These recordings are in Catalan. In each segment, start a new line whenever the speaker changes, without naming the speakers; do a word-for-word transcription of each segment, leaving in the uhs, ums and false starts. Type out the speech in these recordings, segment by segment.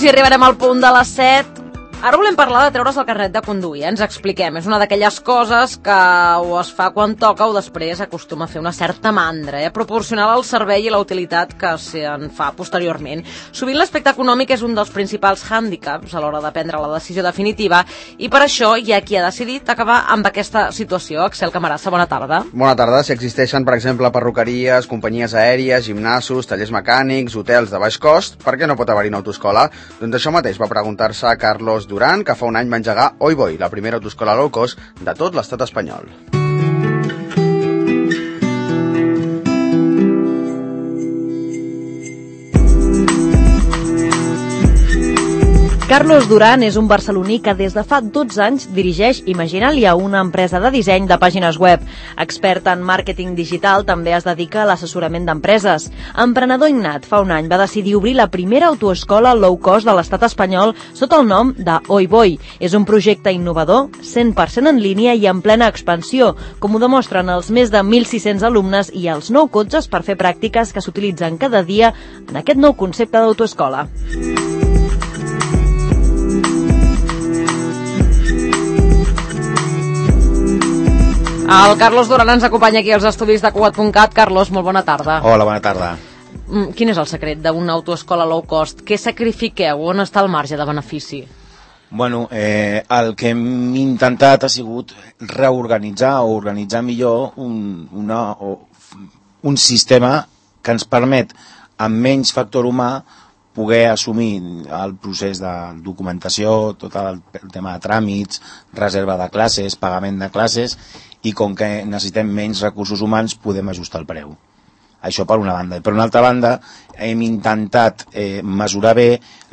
quasi arribarem al punt de les set. Ara volem parlar de treure's el carnet de conduir, eh? Ens expliquem. És una d'aquelles coses que o es fa quan toca o després acostuma a fer una certa mandra, eh? Proporcionar el servei i la utilitat que se'n fa posteriorment. Sovint l'aspecte econòmic és un dels principals hàndicaps a l'hora de prendre la decisió definitiva i per això hi ha qui ha decidit acabar amb aquesta situació. Axel Camarasa, bona tarda.
Bona tarda. Si existeixen, per exemple, perruqueries, companyies aèries, gimnasos, tallers mecànics, hotels de baix cost, per què no pot haver-hi una autoescola? Doncs això mateix va preguntar-se a Carlos Duran, que fa un any va engegar Oi Voi, la primera autoescola low cost de tot l'estat espanyol.
Carlos Duran és un barceloní que des de fa dotze anys dirigeix Imaginalia, una empresa de disseny de pàgines web. Expert en màrqueting digital, també es dedica a l'assessorament d'empreses. Emprenedor innat, fa un any va decidir obrir la primera autoescola low cost de l'estat espanyol sota el nom de Oi Voi. És un projecte innovador, cent per cent en línia i en plena expansió, com ho demostren els més de mil sis-cents alumnes i els nou cotxes per fer pràctiques que s'utilitzen cada dia en aquest nou concepte d'autoescola. El Carlos Duran ens acompanya aquí als estudis de Cugat punt cat. Carlos, molt bona tarda.
Hola, bona tarda.
Quin és el secret d'una autoescola low cost? Què sacrifiqueu? On està el marge de benefici?
Bueno, eh, el que hem intentat ha sigut reorganitzar o organitzar millor un, una, o, un sistema que ens permet, amb menys factor humà, poder assumir el procés de documentació, tot el, el tema de tràmits, reserva de classes, pagament de classes, i com que necessitem menys recursos humans podem ajustar el preu. Això per una banda. I per una altra banda hem intentat eh, mesurar bé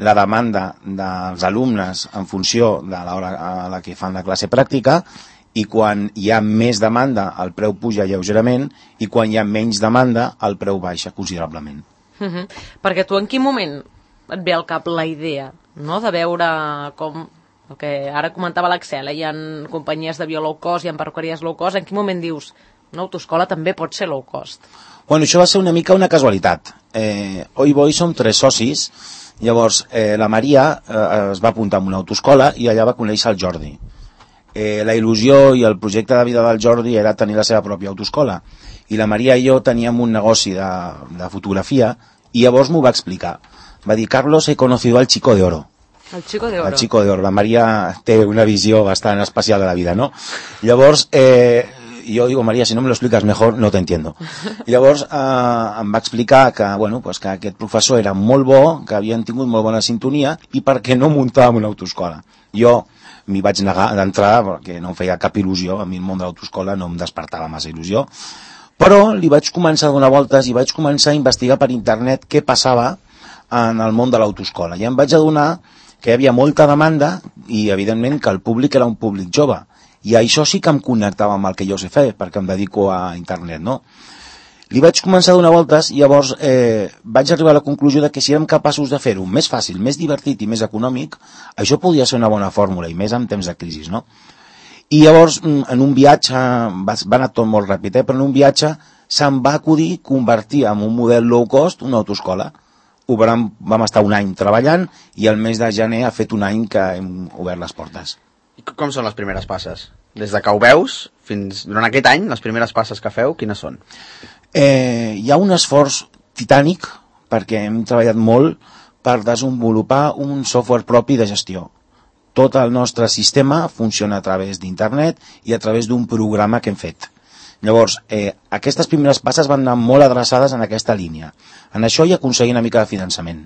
la demanda dels alumnes en funció de l'hora a la que fan la classe pràctica, i quan hi ha més demanda el preu puja lleugerament i quan hi ha menys demanda el preu baixa considerablement.
Uh -huh. Perquè tu en quin moment et ve al cap la idea, no?, de veure com... El que ara comentava l'Axel, eh? Hi ha companyies d'avió low cost, hi ha perruqueries low cost. En quin moment dius, una autoescola també pot ser low cost?
Bueno, això va ser una mica una casualitat. Eh, Oi Voi som tres socis, llavors eh, la Maria eh, es va apuntar a una autoescola i allà va conèixer el Jordi. Eh, la il·lusió i el projecte de vida del Jordi era tenir la seva pròpia autoescola, i la Maria i jo teníem un negoci de, de fotografia, i llavors m'ho va explicar. Va dir, Carlos, he conocido al chico de oro.
El Chico de Oro.
El Chico de Oro. La Maria té una visió bastant especial de la vida, no? Llavors, eh, jo digo, Maria, si no me lo explicas mejor, no te entiendo. I llavors eh, em va explicar que, bueno, pues que aquest professor era molt bo, que havien tingut molt bona sintonia, i per què no muntàvem una autoescola. Jo m'hi vaig negar d'entrada, perquè no em feia cap il·lusió, a mi el món de l'autoescola no em despertava massa il·lusió, però li vaig començar a donar voltes i vaig començar a investigar per internet què passava en el món de l'autoescola. I em vaig adonar que hi havia molta demanda i, evidentment, que el públic era un públic jove. I això sí que em connectava amb el que jo sé fer, perquè em dedico a internet, no? Li vaig començar a donar voltes i llavors eh, vaig arribar a la conclusió de que si érem capaços de fer-ho més fàcil, més divertit i més econòmic, això podia ser una bona fórmula, i més en temps de crisi, no? I llavors, en un viatge, va, va anar tot molt ràpid, eh? però en un viatge se'm va acudir convertir en un model low cost una autoescola. Ho vam, vam estar un any treballant i el mes de gener ha fet un any que hem obert les portes.
I com són les primeres passes? Des de que ho veus fins durant aquest any, les primeres passes que feu, quines són?
Eh, hi ha un esforç titànic perquè hem treballat molt per desenvolupar un software propi de gestió. Tot el nostre sistema funciona a través d'internet i a través d'un programa que hem fet. Llavors, eh, aquestes primeres passes van anar molt adreçades en aquesta línia. En això hi aconseguir una mica de finançament.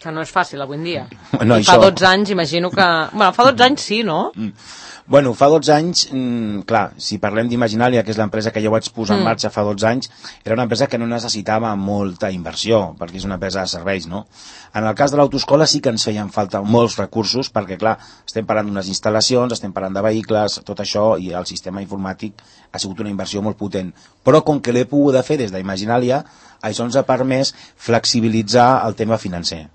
Que no és fàcil avui en dia.
No,
I fa això... dotze anys, imagino que... Bueno, fa dotze anys sí, no?
Mm. Bueno, fa dotze anys, mm, clar, si parlem d'Imaginalia, que és l'empresa que jo vaig posar en marxa fa dotze anys, era una empresa que no necessitava molta inversió, perquè és una empresa de serveis, no? En el cas de l'autoescola sí que ens feien falta molts recursos, perquè, clar, estem parlant d'unes instal·lacions, estem parlant de vehicles, tot això, i el sistema informàtic ha sigut una inversió molt potent. Però com que l'he pogut fer des d'Imaginalia, això ens ha permès flexibilitzar el tema financer.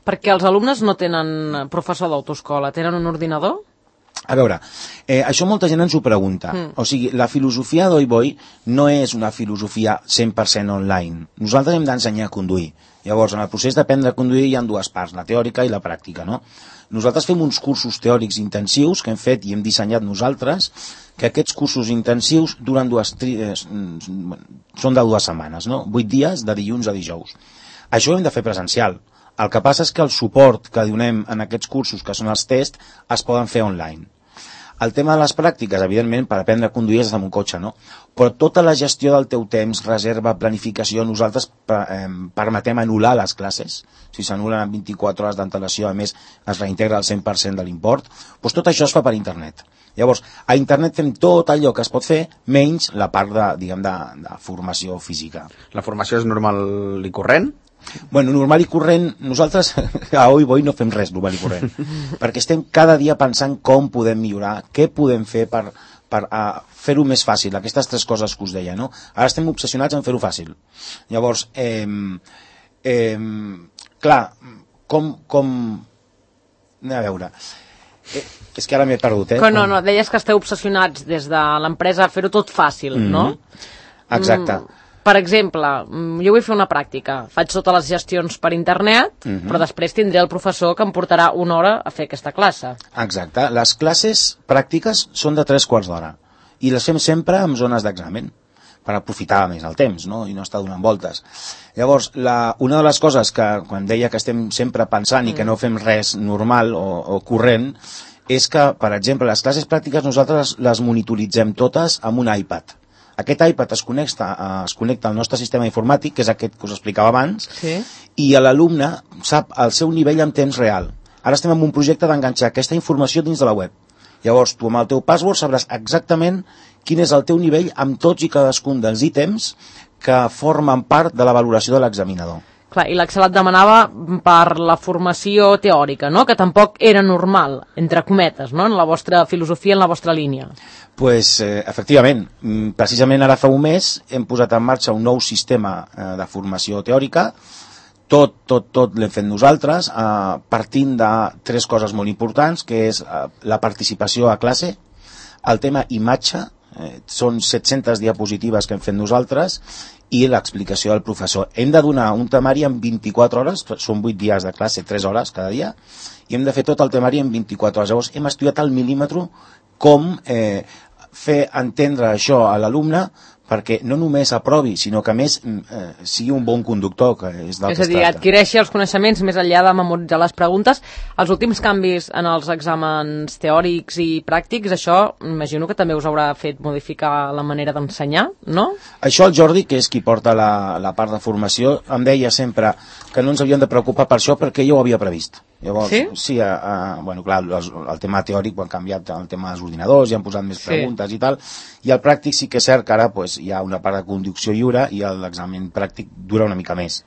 Perquè els alumnes no tenen professor d'autoescola, tenen un ordinador?
A veure, eh, això molta gent ens ho pregunta. Mm. O sigui, la filosofia d'Oi Voi no és una filosofia cent per cent online. Nosaltres hem d'ensenyar a conduir. Llavors, en el procés d'aprendre a conduir hi ha dues parts, la teòrica i la pràctica, no? Nosaltres fem uns cursos teòrics intensius que hem fet i hem dissenyat nosaltres, que aquests cursos intensius duren dues, eh, són de dues setmanes, no? Vuit dies, de dilluns a dijous. Això ho hem de fer presencial. El que passa és que el suport que donem en aquests cursos, que són els tests, es poden fer online. El tema de les pràctiques, evidentment, per aprendre a conduir és amb un cotxe, no? Però tota la gestió del teu temps, reserva, planificació, nosaltres eh, permetem anul·lar les classes. Si s'anulen en vint-i-quatre hores d'antelació, a més, es reintegra el cent per cent de l'import. Doncs tot això es fa per internet. Llavors, a internet fem tot allò que es pot fer, menys la part de, diguem, de, de formació física.
La formació és normal i corrent?
Bueno, normal i corrent, nosaltres a Oi Boi no fem res normal i corrent, perquè estem cada dia pensant com podem millorar, què podem fer per, per uh, fer-ho més fàcil, aquestes tres coses que us deia, no? Ara estem obsessionats en fer-ho fàcil. Llavors, eh, eh, clar, com... com... anem a veure... Eh, és que ara m'he perdut, eh?
Que no, no, deies que esteu obsessionats des de l'empresa a fer-ho tot fàcil, mm-hmm. no?
Exacte.
Mm. Per exemple, jo vull fer una pràctica, faig totes les gestions per internet, uh-huh. però després tindré el professor que em portarà una hora a fer aquesta classe.
Exacte. Les classes pràctiques són de tres quarts d'hora i les fem sempre en zones d'examen per aprofitar més el temps, no? I no estar donant voltes. Llavors, la, una de les coses que, quan deia que estem sempre pensant mm. i que no fem res normal o, o corrent, és que, per exemple, les classes pràctiques nosaltres les monitoritzem totes amb un iPad. Aquest iPad es connecta, es connecta al nostre sistema informàtic, que és aquest que us explicava abans,
sí.
i l'alumne sap el seu nivell en temps real. Ara estem en un projecte d'enganxar aquesta informació dins de la web. Llavors, tu amb el teu password sabràs exactament quin és el teu nivell amb tots i cadascun dels ítems que formen part de la valoració de l'examinador.
Clar, i l'Axel et demanava per la formació teòrica, no? Que tampoc era normal, entre cometes, no? En la vostra filosofia, en la vostra línia.
Pues, eh, efectivament, precisament ara fa un mes hem posat en marxa un nou sistema eh, de formació teòrica. Tot, tot, tot l'hem fet nosaltres, eh, partint de tres coses molt importants, que és eh, la participació a classe, el tema imatge, eh, són set-centes diapositives que hem fet nosaltres, i l'explicació del professor. Hem de donar un temari en vint-i-quatre hores, són vuit dies de classe, tres hores cada dia, i hem de fer tot el temari en vint-i-quatre hores. Llavors hem estudiat al mil·límetre com eh, fer entendre això a l'alumne perquè no només aprovi, sinó que a més eh, sigui un bon conductor, que és del
és
que es
a dir,
tracta.
Adquireixi els coneixements més enllà de memoritzar les preguntes. Els últims canvis en els exàmens teòrics i pràctics, això imagino que també us haurà fet modificar la manera d'ensenyar, no?
Això el Jordi, que és qui porta la, la part de formació, em deia sempre que no ens havíem de preocupar per això perquè jo ho havia previst. Llavors,
sí?
Sí, a, a, bueno, clar, el, el tema teòric ho han canviat, el tema dels ordinadors, i han posat més preguntes sí. i tal, i el pràctic sí que és cert que ara pues, hi ha una part de conducció lliure i l'examen pràctic dura una mica més,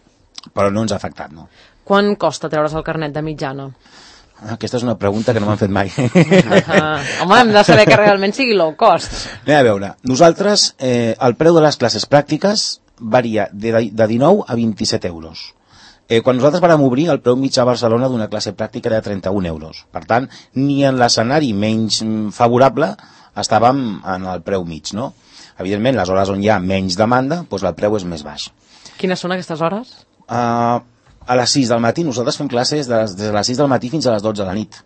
però no ens ha afectat, no?
Quan costa treure's el carnet de mitjana?
Aquesta és una pregunta que no m'han fet mai.
Ah, home, hem de saber que realment sigui low cost.
Anem a veure, nosaltres, eh, el preu de les classes pràctiques varia de, de dinou a vint-i-set euros. Eh, quan nosaltres vam obrir, el preu mig a Barcelona d'una classe pràctica era de trenta-un euros. Per tant, ni en l'escenari menys favorable estàvem en el preu mig, no? Evidentment, les hores on hi ha menys demanda, doncs el preu és més baix.
Quines són aquestes hores?
Uh, a les sis del matí, nosaltres fem classes des de les sis del matí fins a les dotze de la nit.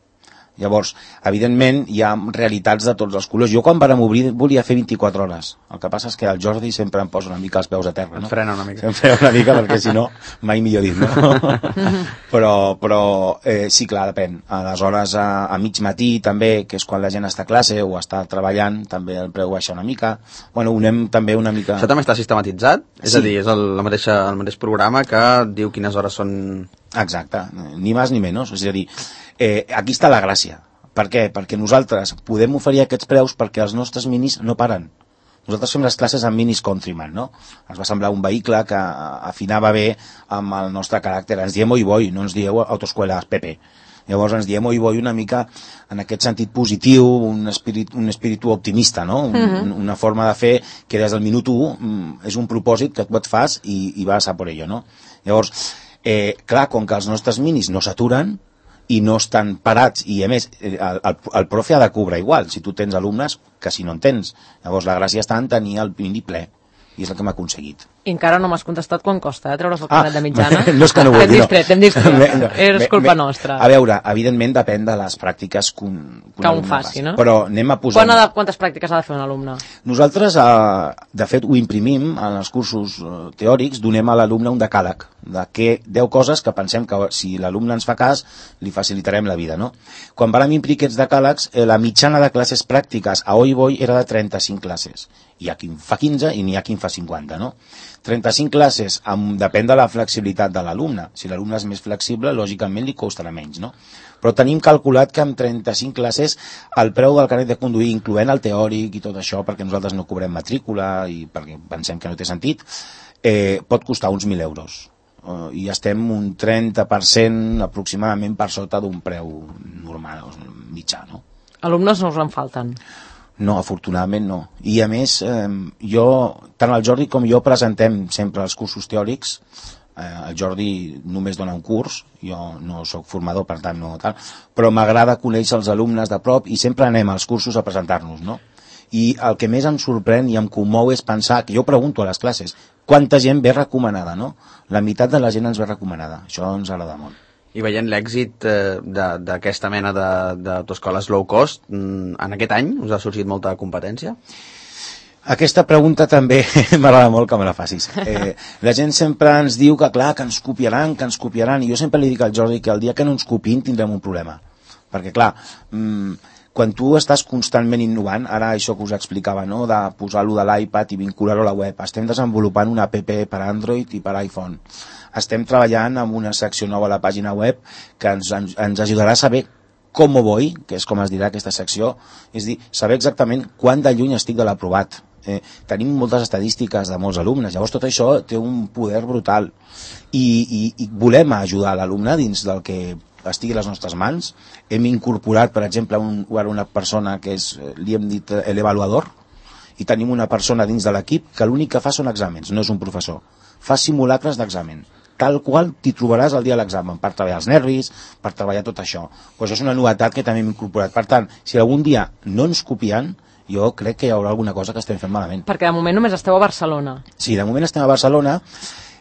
Llavors, evidentment, hi ha realitats de tots els colors. Jo quan vàrem obrir volia fer vint-i-quatre hores. El que passa és que el Jordi sempre em posa una mica els peus a terra, no?
Et frena una mica.
Em frena una mica perquè si no, mai millor dit, no? però, però eh, sí, clar, depèn. Aleshores, a, a mig matí també, que és quan la gent està a classe o està treballant, també el preu baixa una mica. Bueno, unem també una mica...
Això també està sistematitzat? Sí. És a dir, és el, la mateixa, el mateix programa que diu quines hores són...
Exacte, ni més ni menys. És a dir, eh, aquí està la gràcia. Per què? Perquè nosaltres podem oferir aquests preus perquè els nostres minis no paren. Nosaltres fem les classes amb minis Countryman, no? Ens va semblar un vehicle que afinava bé amb el nostre caràcter. Ens diem Oi Boi, no ens dieu Autoescuela P P. Llavors ens diem Oi Boi una mica en aquest sentit positiu, un espíritu, un espíritu optimista, no? Un, uh-huh. Una forma de fer que des del minut u és un propòsit que tu et fas i, i vas a por ello, no? Llavors, eh, clar, com que els nostres minis no s'aturen i no estan parats, i a més el, el, el profe ha de cobrar igual si tu tens alumnes que si no en tens. Llavors la gràcia està en tenir el mini ple, i és el que hem aconseguit.
I encara no m'has contestat quan costa, eh, treure's el carnet
Ah,
de mitjana.
no és que no vulgui,
T'hem distret, t'hem distret.
Me- no.
És
Me-
culpa
me-
nostra.
A veure, evidentment depèn de les pràctiques que un,
Que un
alumne
faci, no?
Però anem a posar...
Quan ha de, quantes pràctiques ha de fer un alumne?
Nosaltres, eh, de fet, ho imprimim en els cursos eh, teòrics, donem a l'alumne un decàleg de què, deu coses que pensem que si l'alumne ens fa cas, li facilitarem la vida, no? Quan vam imprimir aquests decàlegs, eh, la mitjana de classes pràctiques a Oi Boi era de trenta-cinc classes. Hi ha qui en fa quinze i n'hi ha qui en fa cinquanta, no? trenta-cinc classes, amb, depèn de la flexibilitat de l'alumne. Si l'alumne és més flexible, lògicament li costarà menys, no? Però tenim calculat que amb trenta-cinc classes el preu del carnet de conduir, incloent el teòric i tot això, perquè nosaltres no cobrem matrícula i perquè pensem que no té sentit, eh, pot costar uns mil euros. Uh, i estem un trenta per cent aproximadament per sota d'un preu normal, mitjà, no?
Alumnes no us en falten.
No, afortunadament no. I a més, eh, jo, tant el Jordi com jo presentem sempre els cursos teòrics. Eh, el Jordi només dona un curs, jo no sóc formador, per tant no tal, però m'agrada conèixer els alumnes de prop i sempre anem als cursos a presentar-nos, no? I el que més em sorprèn i em comou és pensar, que jo pregunto a les classes, quanta gent ve recomanada, no? La meitat de la gent ens ve recomanada. Això ens agrada molt.
I veient l'èxit eh, de- d'aquesta mena de- d'autoescoles low cost, mm, en aquest any us ha sorgit molta competència?
Aquesta pregunta també m'agrada molt que me la facis. Eh, la gent sempre ens diu que, clar, que ens copiaran, que ens copiaran, i jo sempre li dic al Jordi que el dia que no ens copiïn tindrem un problema. Perquè, clar, mmm, quan tu estàs constantment innovant, ara això que us explicava, no?, de posar-lo de l'iPad i vincular-ho a la web, estem desenvolupant una app per Android i per iPhone. Estem treballant amb una secció nova a la pàgina web que ens, ens, ens ajudarà a saber com voy, que és com es dirà aquesta secció, és dir, saber exactament quant de lluny estic de l'aprovat. Eh, tenim moltes estadístiques de molts alumnes, llavors tot això té un poder brutal i, i, i volem ajudar l'alumne dins del que estigui a les nostres mans. Hem incorporat, per exemple, un, una persona que és, li hem dit l'avaluador, i tenim una persona dins de l'equip que l'únic que fa són exàmens, no és un professor, fa simulacres d'examen, tal qual t'hi trobaràs el dia de l'examen, per treballar els nervis, per treballar tot això. Pues això és una novetat que també hem incorporat. Per tant, si algun dia no ens copien, jo crec que hi haurà alguna cosa que estem fent malament.
Perquè de moment només esteu a Barcelona.
Sí, de moment estem a Barcelona.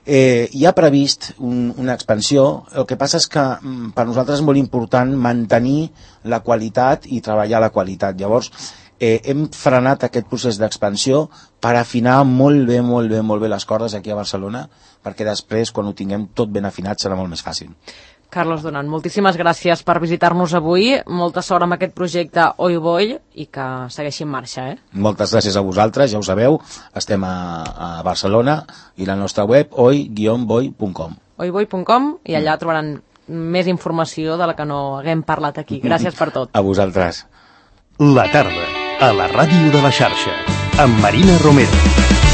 Eh, hi ha previst un, una expansió. El que passa és que mm, per nosaltres és molt important mantenir la qualitat i treballar la qualitat. Llavors, eh, hem frenat aquest procés d'expansió per afinar molt bé, molt bé, molt bé les cordes aquí a Barcelona, perquè després, quan ho tinguem tot ben afinat, serà molt més fàcil.
Carlos Duran, moltíssimes gràcies per visitar-nos avui. Molta sort amb aquest projecte Oi Boi i que segueixi en marxa, eh?
Moltes gràcies a vosaltres, ja ho sabeu, estem a, a Barcelona i la nostra web oi guió boi punt com.
oi boi punt com i allà trobaran més informació de la que no haguem parlat aquí. Gràcies per tot.
A vosaltres.
La tarda, a la ràdio de la xarxa, amb Marina Romero.